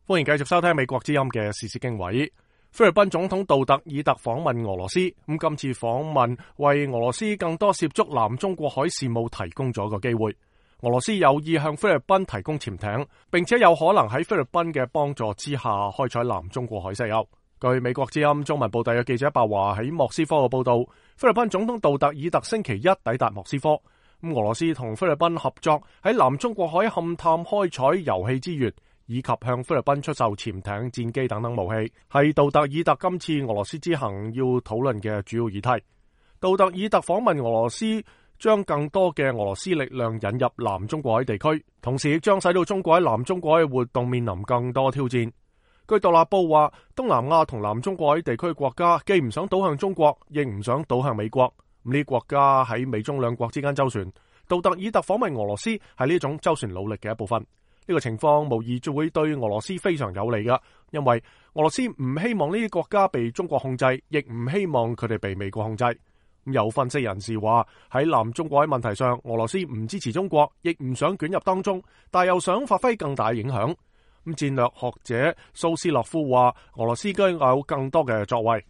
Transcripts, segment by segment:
歡迎繼續收聽美國之音嘅時事經緯。菲律賓總統杜特爾特訪問俄羅斯，今次訪問為俄羅斯更多涉足南中國海事務提供咗個機會。俄羅斯有意向菲律賓提供潛艇，並且有可能喺菲律賓嘅幫助之下開採南中國海石油。據美國之音中文部特約記者白華喺莫斯科嘅報道，菲律賓總統杜特爾特星期一抵達莫斯科。俄羅斯同菲律賓合作喺南中國海勘探開採油氣資源，以及向菲律賓出售潛艇、戰機等等武器，係杜特爾特今次俄羅斯之行要討論嘅主要議題。杜特爾特訪問俄羅斯，將更多嘅俄羅斯力量引入南中國海地區，同時亦將使到中國喺南中國海嘅活動面臨更多挑戰。據獨立報話，東南亞同南中國海地區國家既唔想倒向中國，亦唔想倒向美國。呢啲國家喺美中兩國之間周旋，杜特爾特訪問俄羅斯係呢種周旋努力嘅一部分。呢個情況無疑就會對俄羅斯非常有利㗎，因為俄羅斯唔希望呢啲國家被中國控制，亦唔希望佢哋被美國控制。有分析人士話，喺南中國海問題上，俄羅斯唔支持中國，亦唔想捲入當中，但又想發揮更大影響。戰略學者蘇斯洛夫話，俄羅斯應該有更多嘅作為。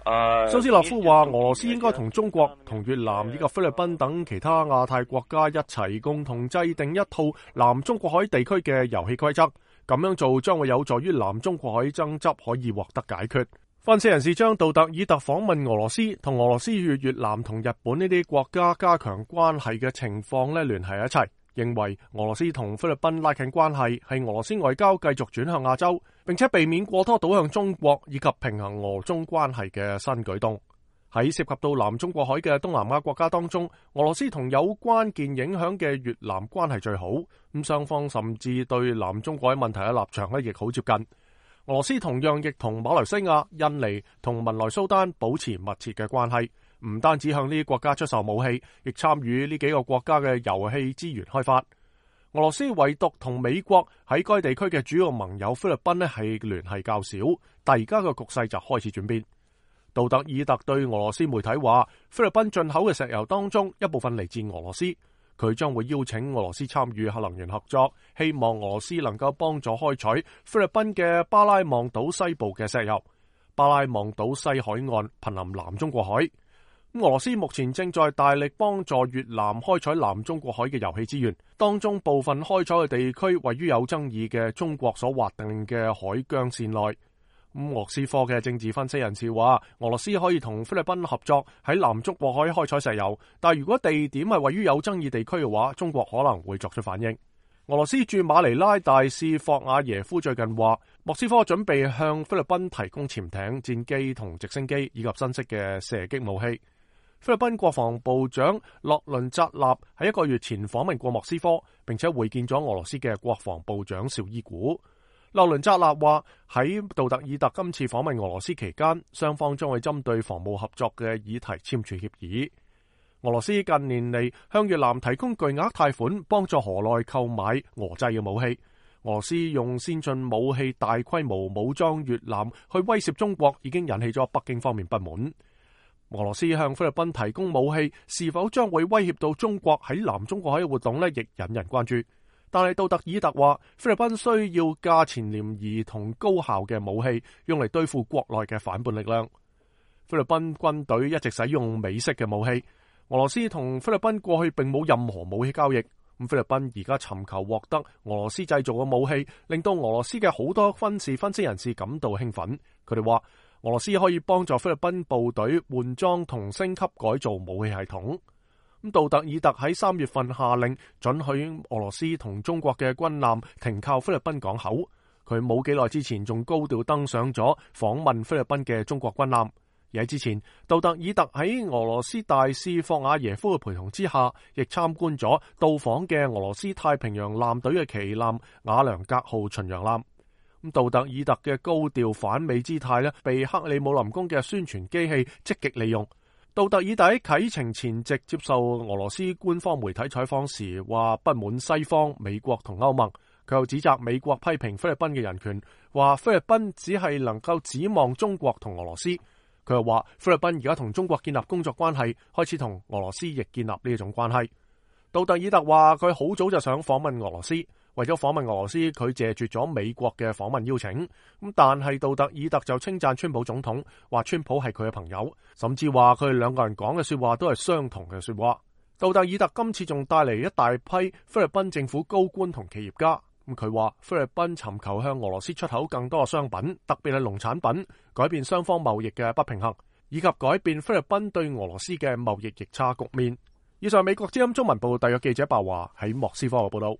蘇斯洛夫話，俄羅斯應該同中國、同越南以及菲律賓等其他亞太國家一齊共同制定一套南中國海地區嘅遊戲規則，咁樣做將會有助於南中國海爭執可以獲得解決。分析人士將杜特爾特訪問俄羅斯同俄羅斯與越南同日本呢啲國家加強關係嘅情況聯繫一齊，認為俄羅斯同菲律賓拉近關係係俄羅斯外交繼續轉向亞洲，並且避免過多倒向中國以及平衡俄中關係嘅新舉動。喺涉及到南中國海嘅東南亞國家當中，俄羅斯同有關鍵影響嘅越南關係最好，雙方甚至對南中國海問題嘅立場亦好接近。俄羅斯同樣亦同馬來西亞、印尼同文萊蘇丹保持密切嘅關係，唔單止向呢啲國家出售武器，亦參與呢幾個國家嘅油氣資源開發。俄羅斯唯獨同美國喺該地區嘅主要盟友菲律賓係聯繫較少，但而家嘅局勢就開始轉變。杜特爾特對俄羅斯媒體話，菲律賓進口嘅石油當中一部分嚟自俄羅斯，佢將會邀請俄羅斯參與核能源合作，希望俄羅斯能夠幫助開採菲律賓嘅巴拉望島西部嘅石油。巴拉望島西海岸瀕臨南中國海。俄羅斯目前正在大力幫助越南開採南中國海嘅油氣資源，當中部分開採嘅地區位於有爭議嘅中國所劃定嘅海疆線內。莫斯科嘅政治分析人士話，俄羅斯可以同菲律賓合作喺南中國海開採石油，但如果地點係位於有爭議地區嘅話，中國可能會作出反應。俄羅斯駐馬尼拉大使霍瓦耶夫最近話，莫斯科準備向菲律賓提供潛艇、戰機同直升機以及新式嘅射擊武器。菲律賓國防部長洛倫扎納喺1個月前訪問過莫斯科，並且會見咗俄羅斯嘅國防部長紹伊古。洛倫扎納話，喺杜特爾特今次訪問俄羅斯期間，雙方將會針對防務合作嘅議題簽署協議。俄羅斯近年嚟向越南提供巨額貸款，幫助河內購買俄製嘅武器。俄羅斯用先進武器大規模武裝越南去威脅中國，已經引起咗北京方面不滿。俄羅斯向菲律賓提供武器，是否將會威脅到中國喺南中國海嘅活動亦引人關注。但係杜特爾特話，菲律賓需要價錢廉宜同高效嘅武器，用嚟對付國內嘅反叛力量。菲律賓軍隊一直使用美式嘅武器。俄羅斯同菲律賓過去並冇任何武器交易。菲律賓而家尋求獲得俄羅斯製造嘅武器，令到俄羅斯嘅好多軍事分析人士感到興奮。佢哋話，俄羅斯可以幫助菲律賓部隊換裝同升級改造武器系統。杜特爾特喺3月份下令准許俄羅斯同中國嘅軍艦停靠菲律賓港口。佢冇幾耐之前仲高調登上咗訪問菲律賓嘅中國軍艦。而喺之前，杜特爾特喺俄羅斯大使霍瓦耶夫嘅陪同之下，亦參觀咗到訪嘅俄羅斯太平洋艦隊嘅旗艦瓦良格號巡洋艦。杜特爾特嘅高調反美姿態被克里姆林宮嘅宣傳機器積極利用。杜特爾特喺啟程前夕接受俄羅斯官方媒體採訪時話不滿西方、美國同歐盟，佢又指責美國批評菲律賓嘅人權，話菲律賓只係能夠指望中國同俄羅斯。佢又話菲律賓而家同中國建立工作關係，開始同俄羅斯亦建立呢一種關係。杜特爾特話佢好早就想訪問俄羅斯，為咗訪問俄羅斯，佢謝絕咗美國嘅訪問邀請。咁但係杜特爾特就稱讚川普總統，話川普係佢嘅朋友，甚至話佢哋兩個人講嘅說話都係相同嘅說話。杜特爾特今次仲帶嚟一大批菲律賓政府高官同企業家。咁佢話菲律賓尋求向俄羅斯出口更多嘅商品，特別係農產品，改變雙方貿易嘅不平衡，以及改變菲律賓對俄羅斯嘅貿易逆差局面。以上美國之音中文部特約記者白華喺莫斯科嘅報道。